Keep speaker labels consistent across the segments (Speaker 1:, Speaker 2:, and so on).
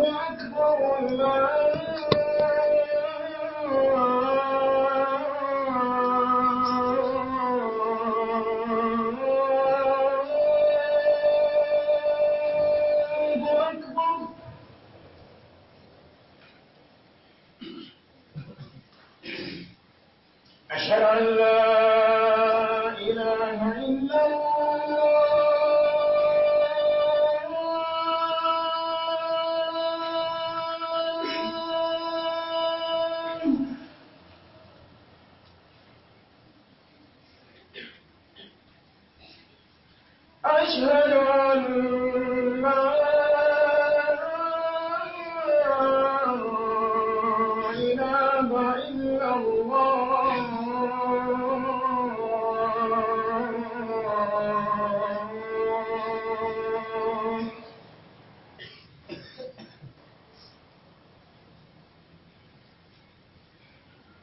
Speaker 1: أكبر. الله أكبر. أشهد أن لا إله إلا الله. أشهد أن لا إله إلا الله.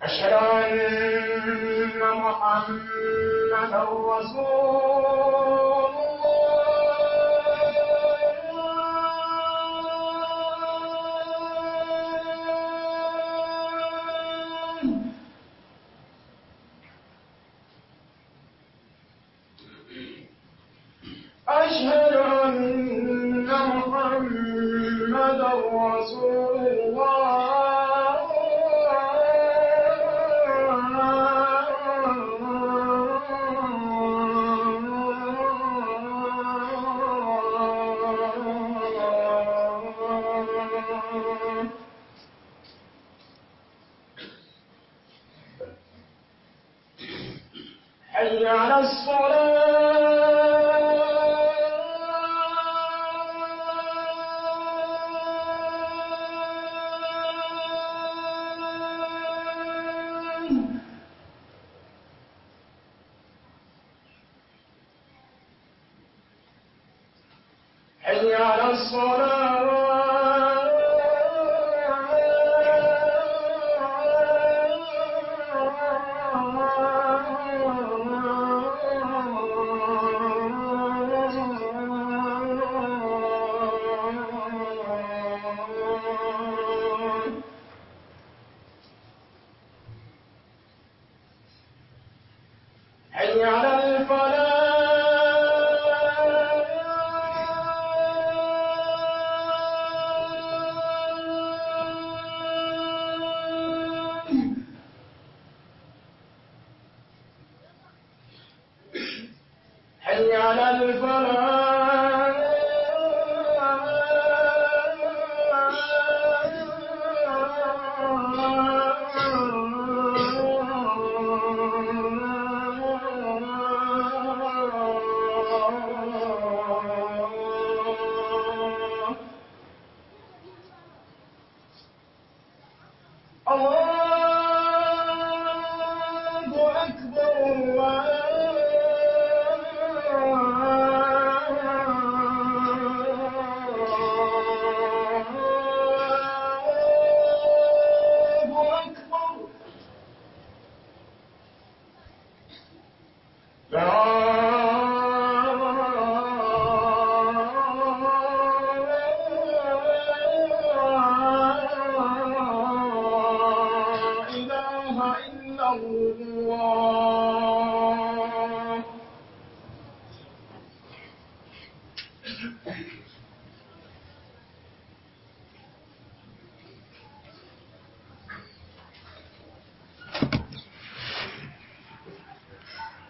Speaker 1: أشهد أن محمدا رسول الله. أشهد أن محمدا رسول الله. حي على الصلاة. حي على الصلاة. حي على الفلاح. حي على الفلاح. الله أكبر. الله أكبر. لا إله إلا الله.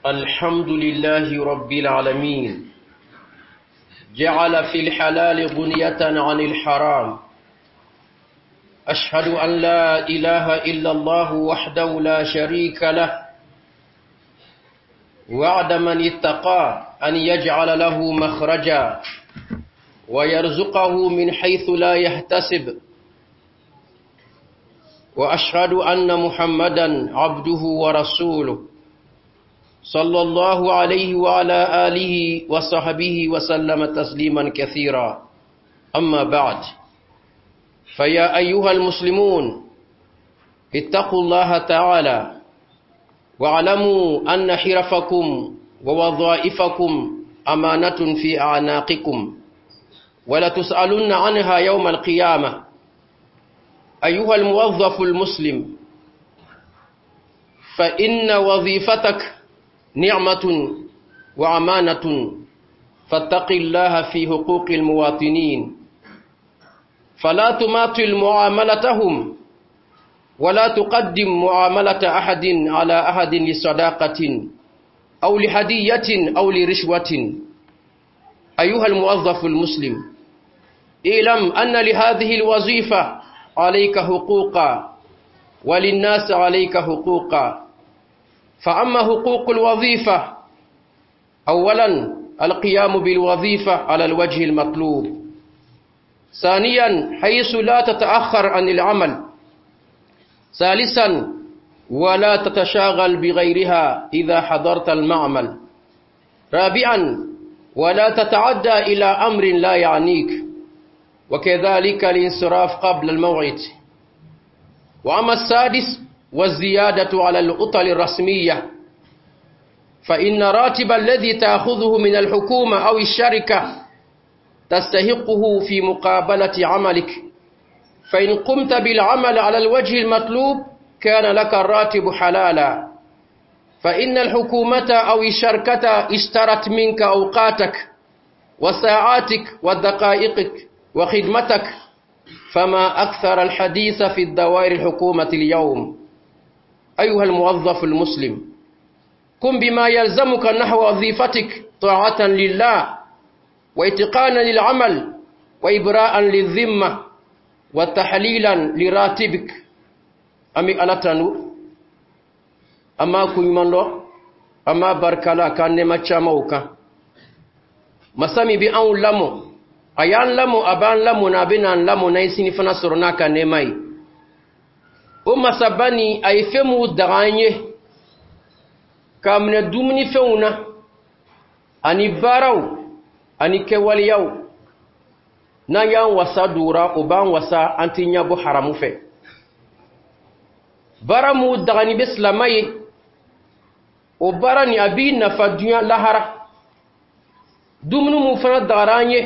Speaker 2: الحمد لله رب العالمين، جعل في الحلال غنية عن الحرام. أشهد أن لا إله إلا الله وحده لا شريك له، وعد من اتقى أن يجعل له مخرجا ويرزقه من حيث لا يحتسب. وأشهد أن محمدا عبده ورسوله صلى الله عليه وعلى آله وصحبه وسلم تسليما كثيرا. أما بعد، فيا أيها المسلمون، اتقوا الله تعالى واعلموا أن حرفكم ووظائفكم أمانة في أعناقكم، ولتسألن عنها يوم القيامة. أيها الموظف المسلم، فإن وظيفتك نعمة وأمانة، فاتق الله في حقوق المواطنين، فلا تماطل معاملتهم، ولا تقدم معاملة أحد على أحد لصداقة أو لهدية أو لرشوة. أيها الموظف المسلم، اعلم أن لهذه الوظيفة عليك حقوقا وللناس عليك حقوقا. فأما حقوق الوظيفة: أولا، القيام بالوظيفة على الوجه المطلوب. ثانيا، حيث لا تتأخر عن العمل. ثالثا، ولا تتشاغل بغيرها إذا حضرت المعمل. رابعا، ولا تتعدى إلى أمر لا يعنيك، وكذلك الانصراف قبل الموعد. وأما السادس، والزيادة على العطل الرسمية، فإن راتب الذي تأخذه من الحكومة أو الشركة تستحقه في مقابلة عملك، فإن قمت بالعمل على الوجه المطلوب كان لك الراتب حلالا، فإن الحكومة أو الشركة اشترت منك أوقاتك وساعاتك ودقائقك وخدمتك، فما أكثر الحديث في الدوائر الحكومة اليوم. أيها الموظف المسلم، قم بما يلزمك نحو وظيفتك طاعة لله واتقانا للعمل وإبراء للذمة وتحليلا لراتبك. An bɛ Ala tanu, an b'a koɲuman dɔn, an b'a barikala ka nɛɛma camanw kan. Masa min bɛ anw lamɔ, a y'an lamɔ, a b'an lamɔ na, a bɛ n'an lamɔ n'an ye sini fana sɔrɔ n'a ka nɛɛma ye. O masaba nin, a ye fɛn minnu daga an ye k'a minɛ dumunifɛnw na ani baaraw ani kɛwaleyaw, n'an y'an wasa don o b'an wasa, an tɛ ɲɛbɔ haramu fɛ. Baara mun dagani bɛ silama ye, o baara nin, a b'i nafa duɲa lahara. Dumuni mun fana dagara an ye,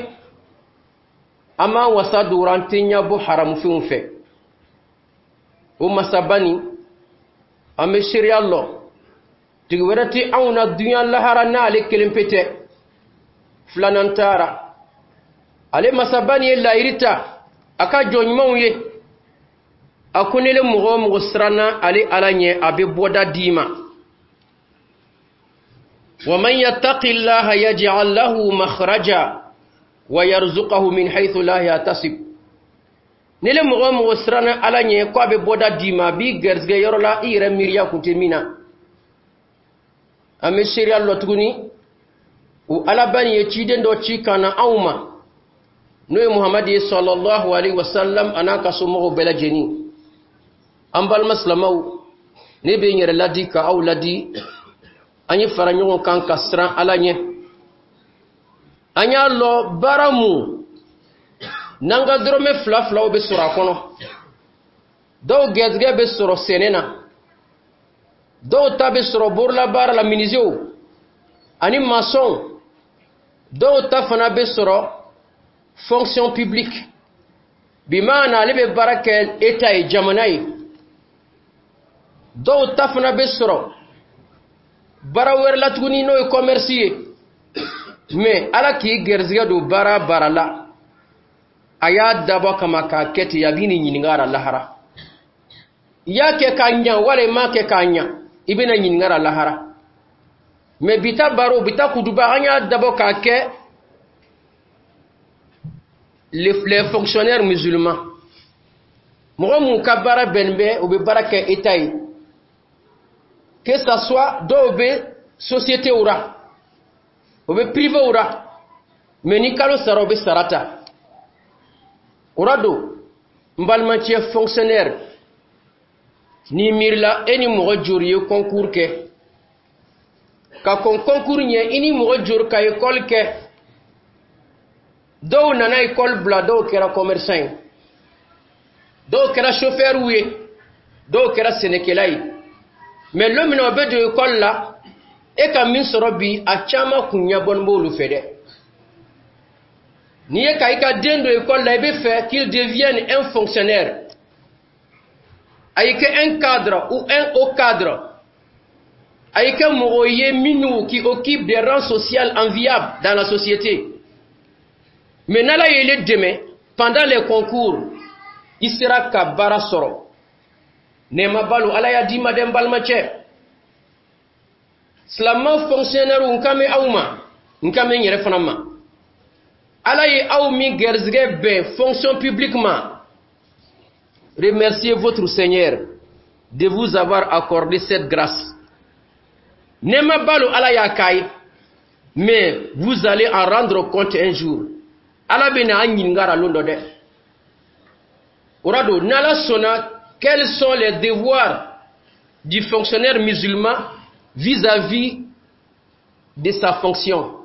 Speaker 2: an b'an wasa don, an tɛ ɲɛbɔ haramufɛnw fɛ. O masaba nin, an bɛ seereya lɔ, tigi wɛrɛ tɛ anw na duɲa lahara n'ale kelen pe tɛ, filanan taara. Ale masaba nin ye layiri ta a ka jɔn ɲumanw ye. A ko nele mɔgɔ o mɔgɔ siranna ale Ala ɲɛ, a bɛ bɔda d'i ma. ومن يتق الله يجعل له مخرجا ويرزقه من حيث لا يحتسب. Nele mɔgɔ o mɔgɔ siranna Ala ɲɛ, ko a bɛ bɔda d'i ma, a b'i gɛrɛsɛgɛ yɔrɔ la i yɛrɛ miiriya kun tɛ min na. An bɛ seereya lɔ tuguni, o Alaba nin ye ciden dɔ ci ka na anw ma, n'o ye Muhamadi ye sallallahu alaihi wasallam, a n'a ka somɔgɔw bɛɛ lajɛlen. An balima silamaw, ne bɛ n yɛrɛ ladi ka aw ladi, an ye fara ɲɔgɔn kan ka siran Ala ɲɛ. An y'a lɔ baara mun n'an ka dɔrɔmɛ fila filaw bɛ sɔrɔ a kɔnɔ, dɔw gɛrɛsɛgɛ bɛ sɔrɔ sɛnɛ na, dɔw ta bɛ sɔrɔ borolabaara la, minizew ani masɔnw, dɔw ta fana bɛ sɔrɔ fonction publique, bimaana ale bɛ baara kɛ État ye, jamana ye, dɔw ta fana bɛ sɔrɔ baara wɛrɛ la tuguni, n'o ye commerce ye. Mais Ala k'i gɛrɛsɛgɛ don baara baara la, a y'a dabɔ kama k'a kɛ ten, a b'i ni ɲininka a la lahara. I y'a kɛ k'a ɲa wala i m'a kɛ k'a ɲa, i bɛna ɲininka a la lahara. Mais bi ta baro, bi ta kutuba, an y'a dabɔ k'a kɛ les fonctionnaires musulmans, mɔgɔ mun ka baara bɛnnen bɛ u bɛ baara kɛ État ye, que ça soit dɔw bɛ société ra, o bɛ privé ra, mais ni kalo sara, o bɛ sara ta o ra. Don n balimacɛ fonctionnaire, n'i miirila, e ni mɔgɔ joli ye concours kɛ ka kɔn concours ɲɛ? I ni mɔgɔ joli ka école kɛ? Dɔw nana école bila, dɔw kɛra commerçant ye, dɔw kɛra chauffeur ye, dɔw kɛra sɛnɛkɛla ye. Mais lon min na o bɛ don école la, e ka min sɔrɔ bi, a caman kun ɲɛbɔnin b'olu fɛ dɛ. N'i ye ka i ka den don école la, i bɛ fɛ qu'il devienne un fonctionnaire, a y'i kɛ un cadre ou un haut cadre, a y'i kɛ mɔgɔ ye minnu qui occupe des rangs sociaux enviables dans la société. Mais n'Ala ye dɛmɛ pendant les concours, i sera ka baara sɔrɔ, nɛɛma balo Ala y'a d'i ma dɛ. N balimacɛ silamɛ fonctionnaire, n kan bɛ aw ma, n kan bɛ n yɛrɛ fana ma. Ala ye aw min garizigɛ bɛn fonction publique ma, remerciez votre Seigneur de vous avoir accordé cette grâce. Nɛɛma balo Ala y'a k'a ye, mais vous allez en rendre compte un jour. Ala bɛna an ɲininka a lon dɔ dɛ. O ra don, n'Ala sɔnna, quels sont les devoirs du fonctionnaire musulman vis-à-vis de sa fonction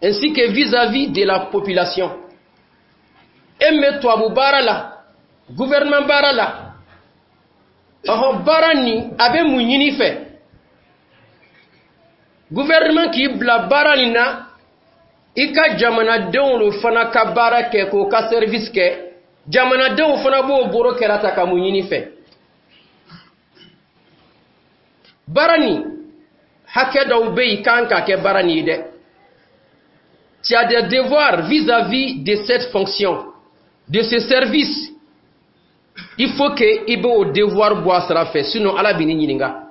Speaker 2: ainsi que vis-à-vis de la population? E min bɛ tubabu baara la, gouvernement baara la, ɔhɔn, baara nin a bɛ mun ɲini fɛ? Gouvernement k'i bila baara nin na, i ka jamanadenw lo fana ka baara kɛ, k'o ka service kɛ. Jamanadenw fana b'o boro kɛra ta ka mun ɲini fɛ? Baara nin hakɛ dɔw bɛ yen kan ka kɛ baara nin ye dɛ. Tu as des devoirs vis-à-vis de cette fonction, de ce service. Il faut que i b'o devoir bɔ a sira fɛ, sinon Ala b'i ɲininka.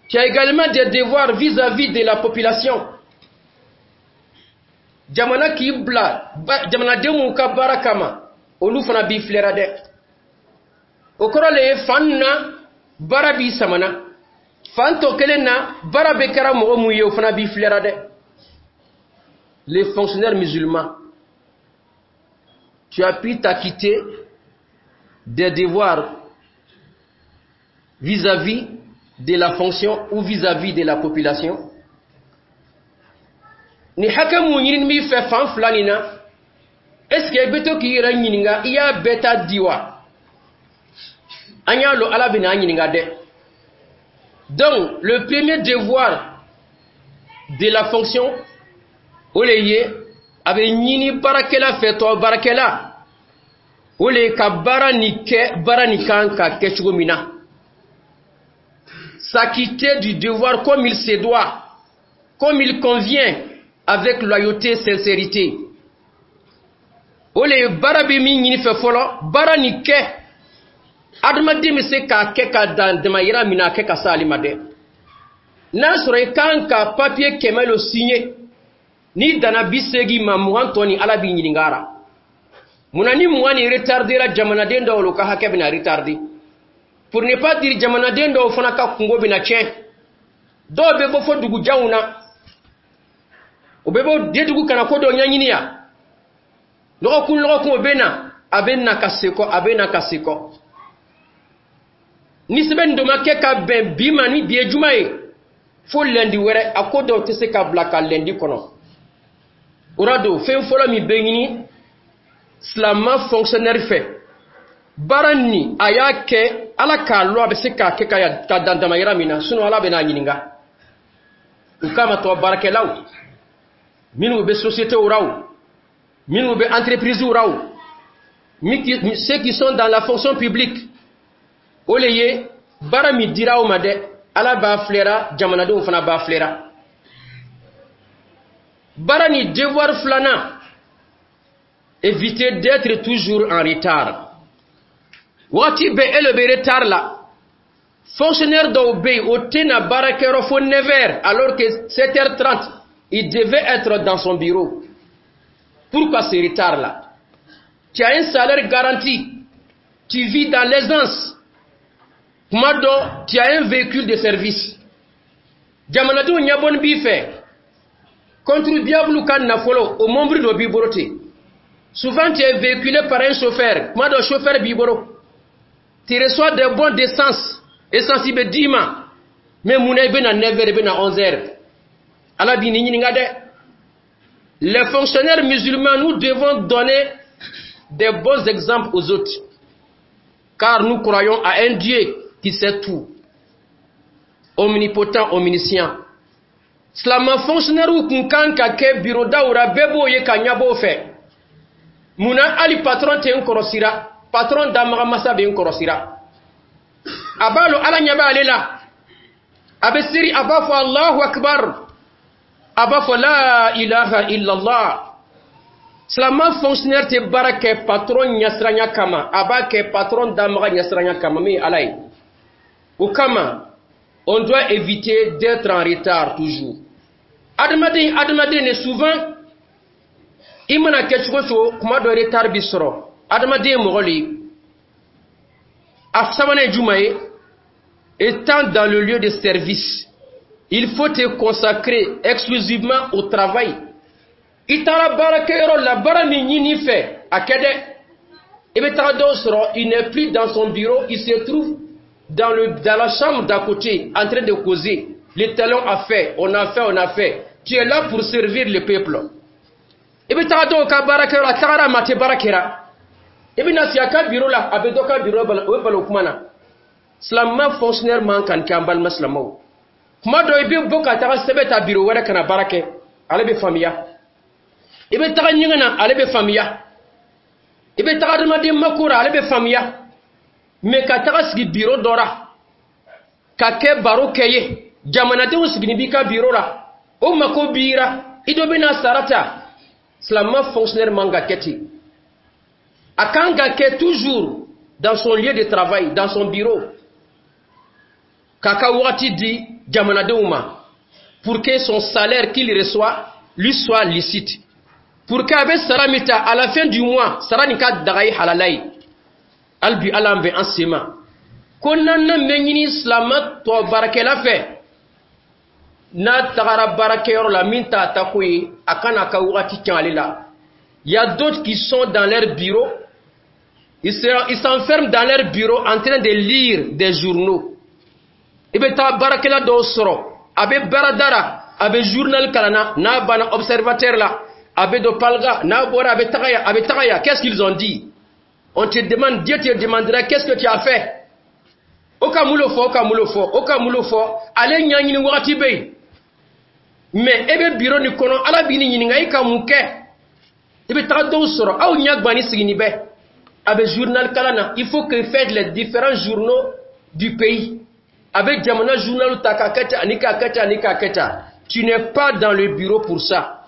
Speaker 2: Tu as également des devoirs vis-à-vis de la population. Jamana k'i bila jamanadenw m'u ka baara kama, olu fana b'i filɛra dɛ. O kɔrɔ le ye, fan na baara b'i samana, fan tɔ kelen na baara bɛ kɛra mɔgɔ mun ye, o fana b'i filɛra dɛ. Les fonctionnaires musulmans, tu as pu t'acquitter des devoirs vis-à-vis de la fonction ou vis-à-vis de la population? Ni hakɛ mun ɲini b'i fɛ fan fila nin na, est ce que i bɛ to k'i yɛrɛ ɲininka, i y'a bɛɛ ta di wa? An y'a lɔn Ala bɛna an ɲininka dɛ. Donc le premier devoir de la fonction, o le ye a bɛ ɲini baarakɛla fɛ, tɔ baarakɛla, o le ye ka baara nin kɛ, baara nin kan ka kɛ cogo min na, s'acquitter du devoir comme il se doit, comme il convient, avec loyauté, sincérité. O le ye baara bɛ min ɲini fɛ fɔlɔ, baara nin kɛ, adamaden bɛ se k'a kɛ ka dan damayira min na, a kɛ ka s'ale ma dɛ. N'a sɔrɔ i kan ka papier 100 lo signer, n'i danna 80 ma, 20 tɔ ni Ala b'i ɲininka a la. Munna ni 20 ni retardera? Jamanaden dɔw lo ka hakɛ bɛna retarder, pour ne pas dire jamanaden dɔw fana ka kungo bɛna tiɲɛ. Dɔw bɛ bɔ fo dugujanw na, o bɛ bɔ dedugu kana ko dɔ ɲɛɲini yan. Lɔgɔkun lɔgɔkun, o bɛ na, a bɛ na ka sekɔ, a bɛ na ka sekɔ. Ni sɛbɛn dɔ ma kɛ ka bɛn bi ma, ni bi ye juma ye, fo lundi wɛrɛ, a ko dɔw tɛ se ka bila ka lundi kɔnɔ. O ra don, fɛn fɔlɔ min bɛ ɲini silama fonctionnaire fɛ, baara nin a y'a kɛ Ala k'a lɔ, a bɛ se k'a kɛ ka dan damayira min na, sinon Ala bɛ n'a ɲininka. U kama tɔ baarakɛlaw minnu bɛ société ra o, minnu bɛ entreprise ra o, ceux qui sont dans la fonction publique, o le ye baara min dira aw ma dɛ, Ala b'a filɛra, jamanadenw fana b'a filɛra. Baara ni devoir filanan, éviter d'être toujours en retard. Wagati bɛɛ e le bɛ retard la. Fonctionnaire dɔw bɛ yen, o tɛna baarakɛyɔrɔ fo 9 heures, alors que 7h30 il devait être dans son bureau. Pourquoi ce retard là? Tu as un salaire garanti, tu vis dans l'aisance, kuma dɔ tu as un véhicule de service, jamanadenw ɲɛbɔni b'i fɛ, contribuable ka nafolo o mɔbili dɔ b'i bolo ten. Souvent tu es véhiculé par un chauffeur, kuma dɔ chauffeur b'i bolo, tu reçois des bons d'essence, essence bɛ d'i ma, mais mun na i bɛ na 9 heures, i bɛ na 11 heures? Ala b'i ni ɲininka dɛ. Les fonctionnaires musulmans, nous devons donner des bons exemples aux autres, car nous croyons à un Dieu qui sait tout, omnipotent, omniscient. Silama fonctionnaire kun kan ka kɛ bureau daw ra, bɛɛ b'o ye ka ɲɛbɔ o fɛ. Munna hali patron tɛ n kɔrɔsira? Patron damaga masa bɛ n kɔrɔsira. A b'a lɔn Ala ɲɛ b'ale la. A bɛ seri, a b'a fɔ Allahu akbar, a b'a fɔ la ilaha illallah. Silama fonctionnaire tɛ baara kɛ patron ɲɛsiranya kama, a b'a kɛ patron damaga ɲɛsiranya kama, min ye Ala ye. O kama, on doit éviter d'être en retard toujours. Adamaden, adamaden de, souvent i mana kɛ cogo cogo, kuma dɔ retard bi sɔrɔ. Adamaden ye mɔgɔ le ye. A sabanan ye jumɛn ye? Étant dans le lieu de service, il faut te consacrer exclusivement au travail. I taara baarakɛyɔrɔ la, baara min ɲini fɛ, a kɛ dɛ. I bɛ taga dɔw sɔrɔ, il n'est plus dans son bureau, il se trouve dans la chambre d'à côté en train de causer. Le talon a fait, on a fait, on a fait. Tu es là pour servir le peuple. I bɛ taga dɔw ka baarakɛyɔrɔ, a tagara ma tɛ baara kɛra. I bɛ na sigi a ka bureau la, a bɛ dɔ ka bureau, o bɛ balo kuma na. Silama fonctionnaire man kan kɛ. An balima silamaw, kuma dɔ i bɛ bɔ ka taga sɛbɛn ta bureau wɛrɛ ka na baara kɛ, ale bɛ faamuya. I bɛ taga ɲɛgɛn na, ale bɛ faamuya. I bɛ taga adamaden mako la, ale bɛ faamuya. Mais ka taga sigi bureau dɔ la ka kɛ baro kɛ ye, jamanadenw sigini b'i ka bureau la, o mako b'i ra, i dɔ bɛna sara ta. Silama fonctionnaire man ka kɛ ten. A kan ka kɛ toujours dans son lieu de travail, dans son bureau, k'a ka wagati di jamanadenw ma, pour que son salaire qu'il reçoit lui soit licite, pour que a bɛ sara min ta à la fin du mois, sara nin ka daga ye, halala ye. Hali bi Ala an bɛ an sen ma. Ko naaninan bɛ ɲini silama tɔ baarakɛla fɛ, n'a tagara baarakɛyɔrɔ la, min t'a ta ko ye, a kana ka wagati tiɲɛ ale la. Il y a d'autres qui sont dans leur bureau, ils s'enferment dans leur bureau en train de lire des journaux. I bɛ taa baarakɛla dɔw sɔrɔ, a bɛ baarada la, a bɛ journal kalan na. N'a banna Observateur la, a bɛ don Palga. N'a bɔra, a bɛ taga yan, a bɛ taga yan. Qu'est-ce qu'ils ont dit? On te demande, Dieu te demandera qu'est-ce que tu as fait. O ka mun le fɔ? O ka mun le fɔ? O ka mun le fɔ? Ale ɲɛɲini wagati bɛ yen, mais e bɛ bureau nin kɔnɔ, Ala b'i ɲininka i ka mun kɛ. I bɛ taga dɔw sɔrɔ, aw ɲɛ gbani sigini bɛ, a bɛ journal kalan na. Il faut que faites les différents journaux du pays. A bɛ jamana journal ta k'a kɛ tan ani k'a kɛ tan ani k'a kɛ tan. Tu n'es pas dans le bureau pour ça.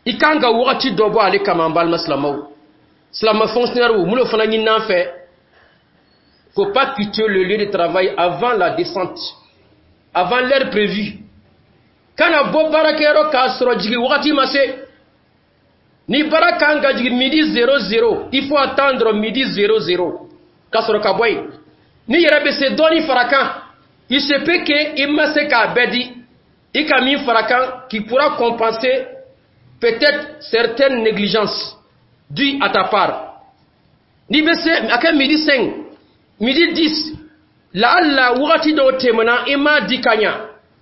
Speaker 2: I kan ka wagati dɔ bɔ ale kama. An balima silamɛw, silama fonctionnaire, mun de fana ɲini an fɛ? Faut pas quitter le lieu de travail avant la descente, avant l'heure prévue. Kana bɔ baarakɛyɔrɔ k'a sɔrɔ jigin wagati ma se. Ni baara kan ka jigin midi 00, il faut attendre midi 00 ka sɔrɔ ka bɔ yen. Ni yɛrɛ bɛ se dɔɔni fara kan, il se peut que i ma se k'a bɛɛ di, i ka min fara kan qui pourra compenser peut-être certaines négligences dues à ta part. N'i bɛ se a kɛ midi 5, midi 10, laala wagati dɔw tɛmɛna, i m'a di ka ɲa,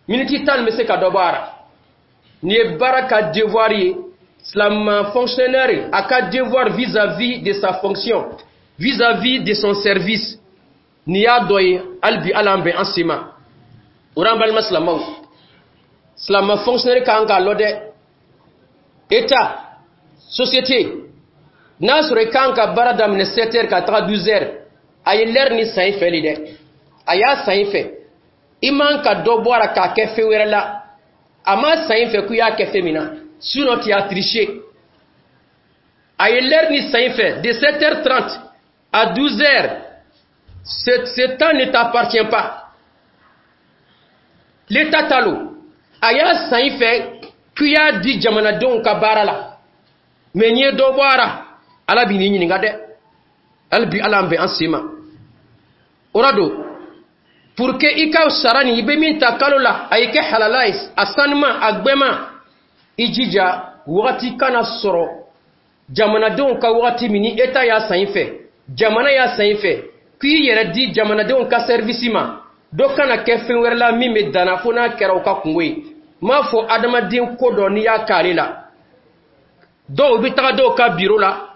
Speaker 2: miniti 10 bɛ se ka dɔ bɔ a la. Nin ye baara ka devoir ye. Silama fonctionnaire a ka devoir vis-à-vis de sa fonction, vis-à-vis de son service, nin y'a dɔ ye. Hali bi Ala an bɛn an sen ma. O la, an balima silamaw, silama fonctionnaire kan k'a lɔ dɛ. État, société, n'a sɔrɔ i kan ka baara daminɛ 7 heures ka taga 12 heures, a ye l'heure ni san i fɛ de dɛ, a y'a san i fɛ. I man ka dɔ bɔ a la k'a kɛ fɛn wɛrɛ la. A ma san i fɛ k'i y'a kɛ fɛn min na, sinon tu as triché. A ye l'heure ni san i fɛ de 7h30 à 12 heures, ce temps ne t'appartient pas. L'État ta lo. A y'a san i fɛ k'i y'a di jamanadenw ka baara la, mais n'i ye dɔ bɔ a la, Ala b'i ɲininka dɛ. Hali bi Ala an bɛn an sen ma. O la don, pour que i ka sara nin, i bɛ min ta kalo la, a y'i kɛ halala ye, a sanuma, a gbɛma, i jija wagati kana sɔrɔ jamanadenw ka wagati min ni État y'a san i fɛ, jamana y'a san i fɛ k'i yɛrɛ di jamanadenw ka service ma, dɔ kana kɛ fɛn wɛrɛ la min bɛ danna, fo n'a kɛra o ka kungo ye. N m'a fɔ adamaden ko dɔ n'i y'a k'ale la. Dɔw bɛ taga dɔw ka bureau la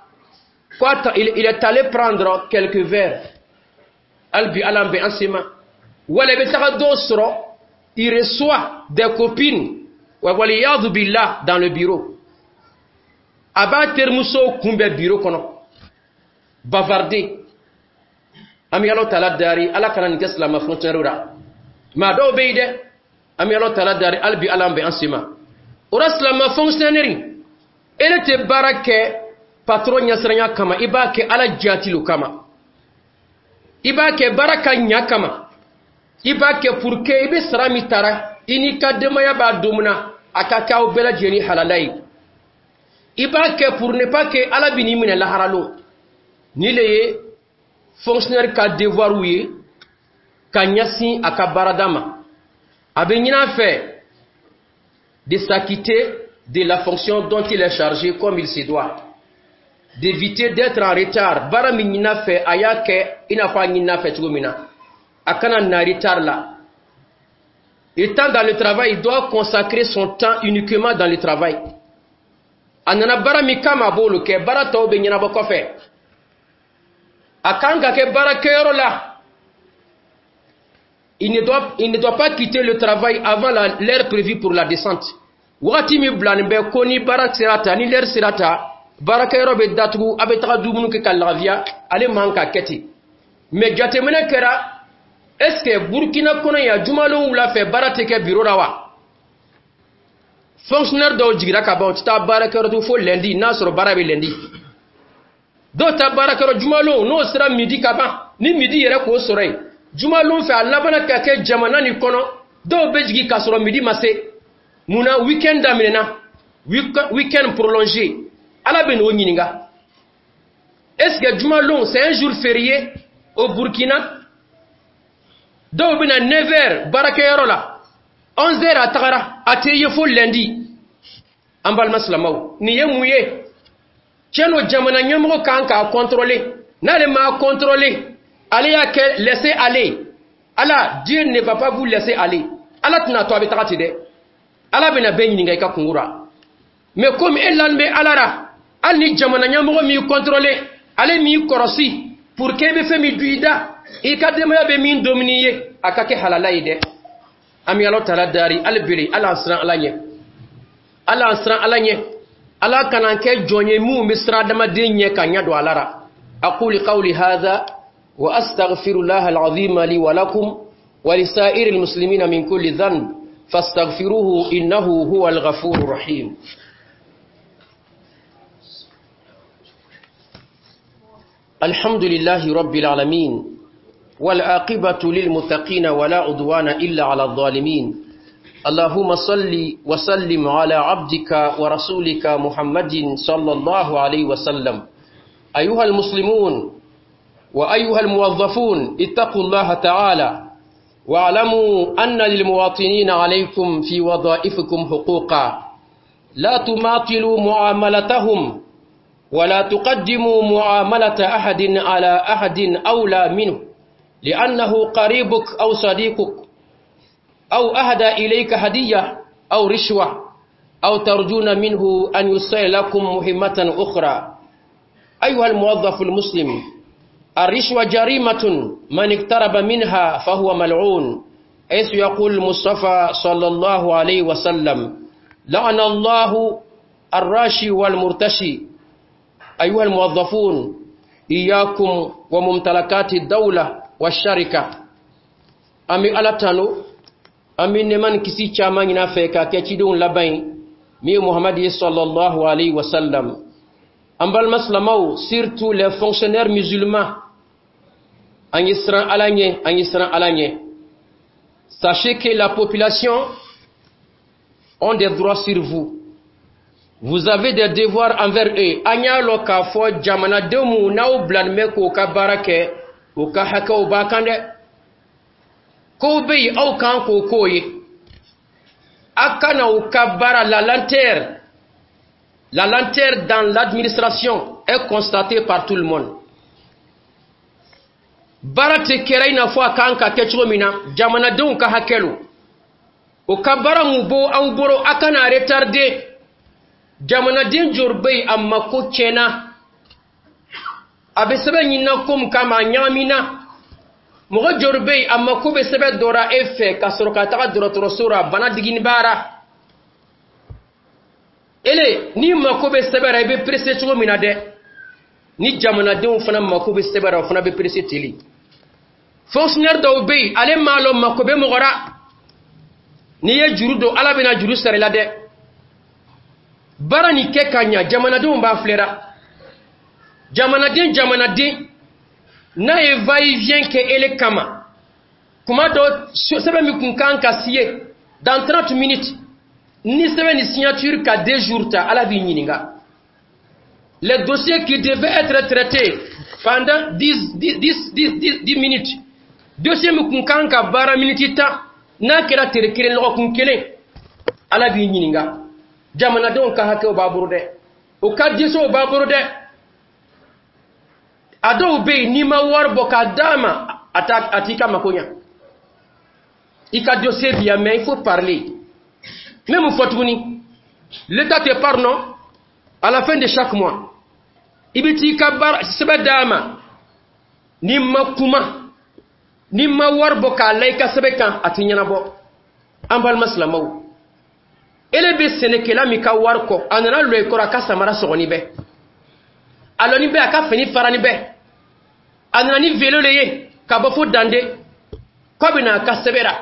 Speaker 2: ko il est allé prendre quelques verres. Hali bi Ala bɛ an sen ma. Wala i bɛ taga dɔw sɔrɔ, il reçoit des copines, waliyadu billah, dans le bureau. A b'a terimuso kunbɛn biro kɔnɔ, bavarder. An bɛ Ala taala dari, Ala kana nin kɛ silamɛ fonctionnaire la. Maa dɔw bɛ yen dɛ. An bɛ Ala taala dari, hali bi Ala bɛ an sen ma o la. Silamɛ fonctionnaire, ele tɛ baara kɛ patron ɲɛsiranya kama, i b'a kɛ Ala jati kama, i b'a kɛ baara ka ɲa kama, i b'a kɛ pour que i bɛ sara min tara, i n'i ka denbaya b'a don min na, a ka kɛ aw bɛɛ lajɛlen halala ye. I b'a kɛ pour ne pas que Ala bɛ n'i minɛ lahara lon. Ni le ye fonctionnaire ka devoir ye ka ɲɛsin a ka baarada ma. A bɛ ɲini a fɛ de s'acquitter de la fonction dont il est chargé comme il se doit, d'éviter d'être en retard. Baara min ɲin'a fɛ, a y'a kɛ i n'a fɔ a ɲin'a fɛ cogo min na, a kana na retard la. Étant dans le travail, il doit consacrer son temps uniquement dans le travail. A nana baara min kama, a b'olu kɛ, baara tɔw bɛ ɲɛnabɔ kɔfɛ. A kan ka kɛ baarakɛyɔrɔ la. Il ne doit pas quitter le travail avant l'heure prévue pour la descente. Wagati min bilanin bɛ ko ni baara sera ta, ni l'heure sera ta, baarakɛyɔrɔ bɛ datugu, a bɛ taga dumuni kɛ ka lafiya, ale man ka kɛ ten. Mais jateminɛ kɛra, est ce que Burkina kɔnɔ yan, jumalon wula fɛ, baara tɛ kɛ bureau la wa? Fonctionnaire dɔw jigira ka ban, u tɛ taa baarakɛyɔrɔ tugun fo lundi, n'a sɔrɔ baara bɛ lundi. Dɔw ta baarakɛyɔrɔ jumalon, n'o sera midi ka ban, ni midi yɛrɛ k'o sɔrɔ yen jumalon fɛ, a labanna ka kɛ jamana nin kɔnɔ, dɔw bɛ jigin k'a sɔrɔ midi ma se. Munna? Week-end daminɛna, week-end prolongé. Ala bɛ n'o ɲininka. Est ce que jumalon, c'est un jour férié au Burkina? Dɔw bɛ na 9 heures baarakɛyɔrɔ la, 11 heures a tagara, a tɛ ye fo lundi. An balima silamɛw, nin ye mun ye? Tiɲɛ don, jamana ɲɛmɔgɔ kan k'a contrôler. N'ale m'a contrôler, ale y'a kɛ laisser aller. Ala, Dieu ne va pas vous laisser aller. Ala tɛna to a bɛ taga ten dɛ. Ala bɛna bɛɛ ɲininka i ka kungo la. Mais comme e lani bɛ Ala la, hali ni jamana ɲɛmɔgɔ m'i contrôler, ale m'i kɔrɔsi pour que i bɛ fɛn min dun i da, i ka denbaya bɛ min domini ye, a ka kɛ halala ye dɛ. An bɛ Ala taala dari hali bere, Ala an siran Ala ɲɛ, Ala an siran Ala ɲɛ. Ala kana kɛ jɔn ye minnu bɛ siran adamaden ɲɛ ka ɲɛ don ala la. أقول قولي هذا وأستغفر الله العظيم لي ولكم ولسائر المسلمين من كل ذنب، فاستغفروه إنه هو الغفور الرحيم. الحمد لله رب العالمين، والعاقبة للمتقين، ولا عدوان إلا على الظالمين. اللهم صل وسلم على عبدك ورسولك محمد صلى الله عليه وسلم. أيها المسلمون وأيها الموظفون، اتقوا الله تعالى واعلموا أن للمواطنين عليكم في وظائفكم حقوقا. لا تماطلوا معاملتهم، ولا تقدموا معاملة أحد على أحد أولى منه لأنه قريبك أو صديقك أو أهدى إليك هدية أو رشوة أو ترجون منه أن يسير لكم مهمة أخرى. أيها الموظف المسلم، الرشوة جريمة، من اقترب منها فهو ملعون، حيث يقول المصطفى صلى الله عليه وسلم: لعن الله الراشي والمرتشي. أيها الموظفون، إياكم وممتلكات الدولة والشركة. An bɛ Ala tanu, an bɛ nɛɛma ni kisi caman ɲini a fɛ k'a kɛ cidenw laban ye, min ye Muhamadi ye صلى الله عليه وسلم. An balima silamɛw, surtout les fonctionnaires musulmans, an ye siran Ala ɲɛ, an ye siran Ala ɲɛ. Sachez que la population ont des droits sur vous, vous avez des devoirs envers eux. An y'a lɔn k'a fɔ jamanadenw mu n'aw bilalen bɛ k'o ka baara kɛ, u ka hakɛw b'a kan dɛ. Kow bɛ yen, aw kan k'o k'o ye. A kana u ka baara la lenteur. La lenteur dans l'administration est constatée par tout le monde. Baara tɛ kɛra i n'a fɔ a kan ka kɛ cogo min na. Jamanadenw ka hakɛ lo, o ka baara mun bɔ aw bolo, a kana retarder. Jamanaden joli bɛ yen, a mako tiɲɛna, a bɛ sɛbɛn ɲinina ko min kama, a ɲagamina. Mɔgɔ joli bɛ yen, a mako bɛ sɛbɛn dɔ la e fɛ ka sɔrɔ ka taga dɔgɔtɔrɔso la, bana digini b'a la. Ele n'i mako bɛ sɛbɛn la, i bɛ pressé cogo min na dɛ, ni jamanadenw fana mako bɛ sɛbɛn la, o fana bɛ pressé teli. Fonctionnaire dɔw bɛ yen, ale m'a lɔn mako bɛ mɔgɔ la. N'i ye juru don, Ala bɛna juru sara i la dɛ. Baara nin kɛ ka ɲa, jamanadenw b'a filɛra. Jamanaden n'a ye va et vient kɛ ele kama, kuma dɔ, sɛbɛn min kun kan ka signer dans 30 minutes, ni sɛbɛn ni signature ka 2 jours ta, Ala b'i ɲininka. Les dossiers qui devaient être traités pendant 10, 10, 10, 10, 10 minutes, dossier min kun kan ka baara miniti 10, n'a kɛra tere kelen, lɔgɔkun kelen, Ala b'i ɲininka. Jamanadenw ka hakɛw b'a bolo dɛ, o ka dossierw b'a bolo dɛ. A dɔw bɛ yen, n'i ma wari bɔ k'a d'a ma, a t'i ka mako ɲa. I ka dossier bi yan, mais il faut parler. N bɛ mun fɔ tuguni? L'État te parle, non? À la fin de chaque mois, i bɛ t'i ka baara sɛbɛn d'a ma. N'i ma kuma, n'i ma wari bɔ k'a la i ka sɛbɛn kan, a t'i ɲɛnabɔ. An balima silamɛw, ele bɛ sɛnɛkɛla min ka wari kɔ, a nana lɔ i kɔrɔ, a ka samara sɔgɔni bɛ, a lɔni bɛ, a ka fini farani bɛ, a nana ni vélo le ye ka bɔ fo Dande k'a bɛ na a ka sɛbɛn la.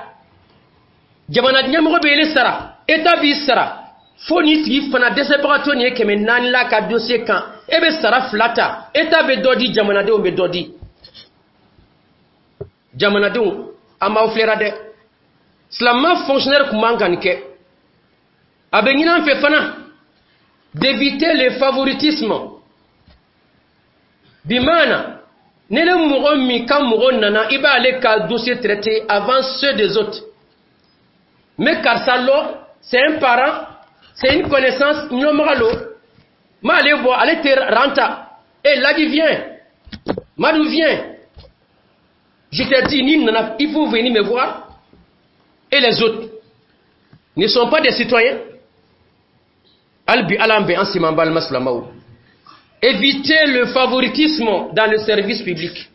Speaker 2: Jamana ɲɛmɔgɔ bɛ ele sara, État b'i sara, fo ni tigi fana dɛsɛbagatɔ nin ye 400 la ka dossier kan, e bɛ sara fila ta. État bɛ dɔ di, jamanadenw bɛ dɔ di. Jamanadenw, an b'aw filɛra dɛ. Silamɛ fonctionnaire kun man ka nin kɛ. A bɛ ɲini an fɛ fana d'éviter le favoritisme, bimaana ne le mɔgɔ min ka mɔgɔ nana, i b'ale ka dossier traité avant ceux des autres. Mais karisa lɔ, c'est un parent, c'est une connaissance, ɲɔmɔgɔ lo, m'ale bɔ, ale tɛ ranta. Eh, Ladi, viens. Madou, viens. Je t'ai dit, ni nana, il faut venir me voir. Et les autres ne sont pas des citoyens? Hali bi, Ala bɛ an siman. Balima silamɛw, évitez le favoritisme dans le service public.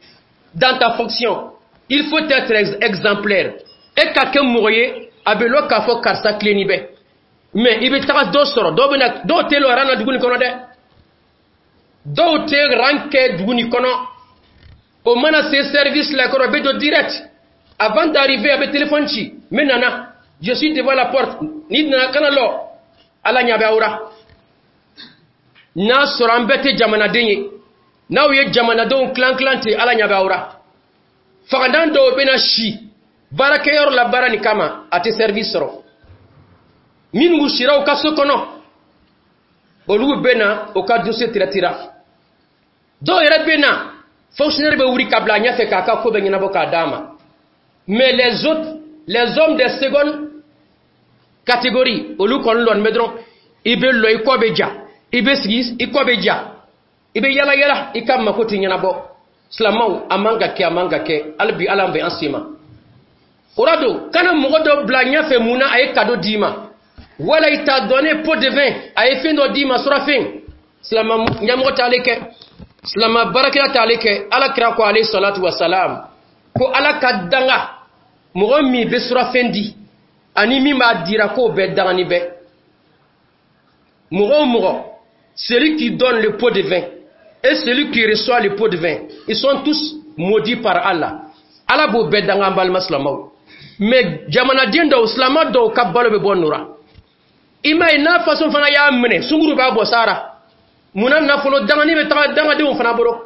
Speaker 2: Dans ta fonction, il faut être exemplaire. E ka kɛ mɔgɔ ye, a bɛ lɔ k'a fɔ karisa tilenni bɛ. Mais i bɛ taga dɔ sɔrɔ, dɔw bɛna, dɔw tɛ lɔ rang na dugu nin kɔnɔ dɛ, dɔw tɛ rang kɛ dugu nin kɔnɔ. O mana se service la kɔrɔ, bɛ don direct. Avant d'arriver, a bɛ téléphone ci: "N bɛ nana, je suis devant la porte." N'i nana, kana lɔ. Ala ɲɛ bɛ aw la. N'a sɔrɔ an bɛɛ tɛ jamanaden ye, n'aw ye jamanadenw tilan tilan ten, Ala ɲɛ bɛ aw la. Fagadan dɔw bɛna si baarakɛyɔrɔ la baara nin kama, a tɛ service sɔrɔ. Minnu sira u ka so kɔnɔ, olu bɛ na, o ka dossier traitera. Dɔw yɛrɛ bɛ na, fonctionnaire bɛ wuli ka bila a ɲɛfɛ k'a ka ko bɛɛ ɲɛnabɔ k'a d'a ma. Mais les autres, les hommes de seconde catégorie, olu kɔni lɔni bɛ dɔrɔn. I bɛ lɔ, i kɔ bɛ ja, i bɛ sigi, i kɔ bɛ ja, i bɛ yala yala, i ka mako tɛ ɲɛnabɔ. Silamɛw, a man ka kɛ, a man ka kɛ. Hali bi, Ala bɛ an sen ma. O la don, kana mɔgɔ dɔ bila ɲɛfɛ. Mun na? A ye cadeau d'i ma, wala il t'a donné pot de vin, a ye fɛn dɔ d'i ma, surafɛn. Silama ɲɛmɔgɔ t'ale kɛ, silama baarakɛla t'ale kɛ. Ala kira ko, alayhi salatu wa salam, ko Ala ka danga mɔgɔ min bɛ surafɛn di ani min b'a dira, k'o bɛɛ dangani bɛɛ. Mɔgɔ o mɔgɔ, celui qui donne le pot de vin et celui qui reçoit le pot de vin, ils sont tous maudits par Allah. Ala b'o bɛɛ danga. An balima silamaw, mais jamanaden dɔw, silama dɔw ka balo bɛ bɔ nora. I m'a ye, n'a façon fana y'a minɛ, sunguru b'a bɔ sara. Munna nafolo dangani bɛ taga dangadenw fana bolo?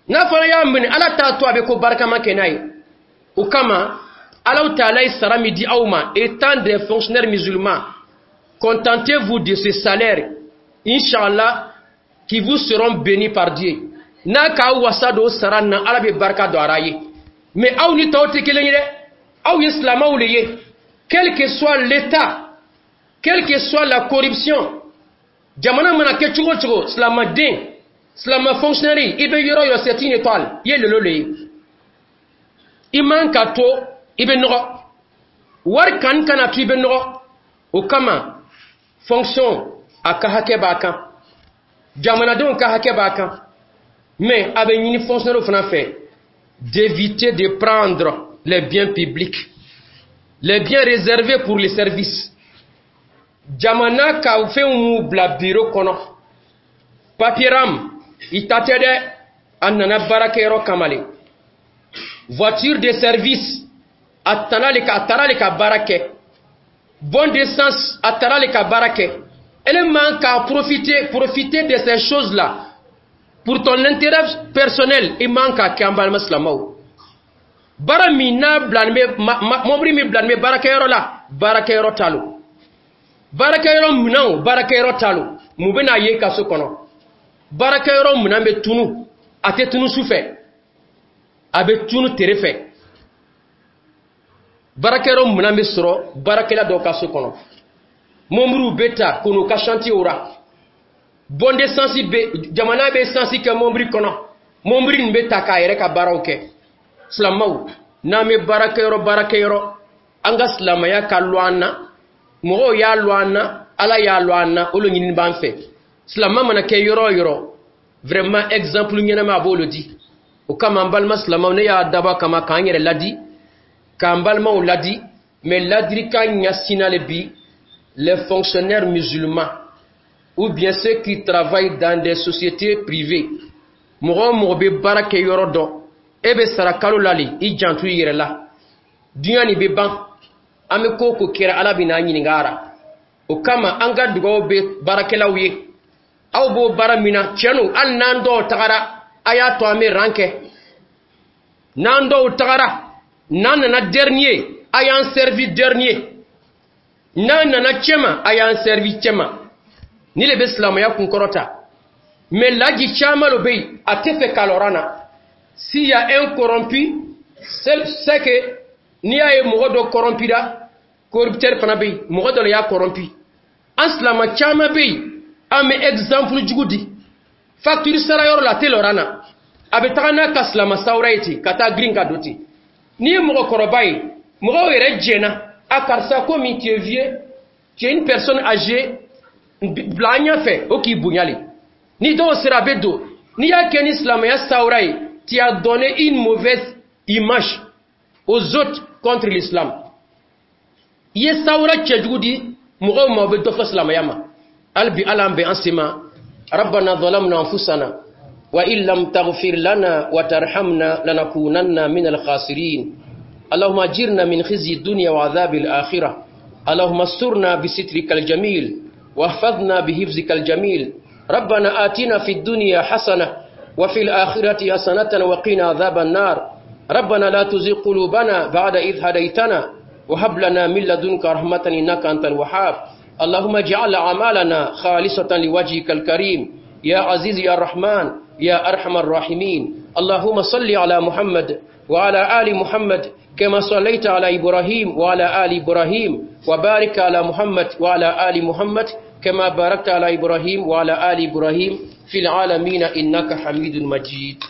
Speaker 2: N'a fana y'a minɛ, Ala t'a to a bɛ ko barikama kɛ n'a ye. O kama, Alaw Taala ye sara min di aw ma étant des fonctionnaires musulmans, contentez-vous de ce salaire, inchallah, qui vous seront bénis par Dieu. N'a k'aw wasa don sara na, Ala bɛ barika don a ye. Mais aw ni tɔw tɛ kelen ye dɛ, aw ye silamɛw de ye. Quel que soit l'état, quelle que soit la corruption, jamana mana kɛ cogo o cogo, silamaden, silama fonctionnaire, i bɛ yɔrɔ yɔrɔ, c'est une étoile. I ye lelo le ye, i man ka to i bɛ nɔgɔ wari kan kana to i bɛ nɔgɔ. O kama, fonction, a ka hakɛ b'a kan, jamanadenw ka hakɛ b'a kan. Mais a bɛ ɲini fonctionnaire fana fɛ d'éviter de prendre les biens publics, les biens réservés pour les services. Jamana ka fɛnw m'u bila biro kɔnɔ, papier i ta tɛ dɛ, a nana baarakɛyɔrɔ kama le. Voiture de service, a tana le ka, a taara le ka baara kɛ. Bon d'essence, a taara le ka baara kɛ. Ele man ka profiter de ces choses là pour ton intérêt personnel, i man ka kɛ. An balima silamɛw, baara min n'a bilani bɛ, mobili min bilani bɛ baarakɛyɔrɔ la, baarakɛyɔrɔ ta lo. Baarakɛyɔrɔ minɛnw, baarakɛyɔrɔ ta lo. Mun bɛna ye ka so kɔnɔ? Baarakɛyɔrɔ minɛn bɛ tunu, a tɛ tunu su fɛ, a bɛ tunu tere fɛ. Baarakɛyɔrɔ minɛn bɛ sɔrɔ baarakɛla dɔw ka so kɔnɔ, mɔbiliw bɛ ta k'u ka chantier ra. Bon d'essence bɛ, jamana bɛ essence kɛ mɔbili kɔnɔ, mɔbili nin bɛ ta k'a yɛrɛ ka baaraw kɛ. Silamɛw, n'an bɛ baarakɛyɔrɔ, an ka silamɛya ka lɔ an na, mɔgɔw y'a lɔ an na, Ala y'a lɔ an na, o le ɲini b'an fɛ. Silamɛ mana kɛ yɔrɔ o yɔrɔ, vraiment, exemple ɲɛnama a b'olu di. O kama, an balima silamɛw, ne y'a dabɔ a kama k'an yɛrɛ ladi, k'an balimaw ladi, mais ladilikan ɲɛsinna le bi les fonctionnaires musulmans ou bien ceux qui travaillent dans des sociétés privées. Mɔgɔ o mɔgɔ bɛ baara kɛ yɔrɔ dɔ, e bɛ sara kalo la le, i janto i yɛrɛ la. Duɲa nin bɛ ban, an bɛ ko o ko kɛra, Ala bɛ n'an ɲininka a ra. O kama, an ka dugawu bɛ baarakɛlaw ye, aw b'o baara min na, tiɲɛ don, hali n'an dɔw tagara, a y'a to an bɛ rang kɛ. N'an dɔw tagara, n'an nana dernier, a y'an servi dernier. N'an nana cɛma, a y'an servi cɛma. Ni le bɛ silamɛya kunkɔrɔta. Mais laji caman lo bɛ yen, a tɛ fɛ k'a lɔra na. S'il y a un corrompu, c'est que n'i y'a ye mɔgɔ dɔ corrompira, corrupteur fana bɛ yen, mɔgɔ dɔ le y'a corrompu. An silama caman bɛ yen, an bɛ exemple jugu di. Facture sara yɔrɔ la, a tɛ lɔra na, a bɛ taga n'a ka silama sawura ye ten, ka taa girin ka don ten. N'i ye mɔgɔkɔrɔba ye, mɔgɔw yɛrɛ jɛnna a karisa, komi tu es vieux, tu es une personne âgée, bila an ɲɛfɛ, o k'i bonya le. Ni dɔw sera, a bɛ don. N'i y'a kɛ ni silamɛya sawura ye, tu as donné une mauvaise image aux autres contre l'islam. I ye sawura cɛjugu di mɔgɔw ma, o bɛ dɔ fɔ silamɛya ma. Hali bi, Ala an bɛn an sen ma. ربنا ظلمنا أنفسنا وإن لم تغفر لنا وترحمنا لنكونن من الخاسرين. اللهم أجرنا من خزي الدنيا وعذاب الآخرة. اللهم استرنا بسترك الجميل واحفظنا بحفظك الجميل. ربنا آتنا في الدنيا حسنة وفي الآخرة حسنة وقنا عذاب النار. ربنا لا تزغ قلوبنا بعد إذ هديتنا وهب لنا من لدنك رحمة إنك أنت الوهاب. اللهم اجعل أعمالنا خالصة لوجهك الكريم يا عزيز يا رحمن يا أرحم الراحمين. اللهم صل على محمد وعلى آل محمد كما صليت على إبراهيم وعلى آل إبراهيم، وبارك على محمد وعلى آل محمد كما باركت على إبراهيم وعلى آل إبراهيم في العالمين إنك حميد مجيد.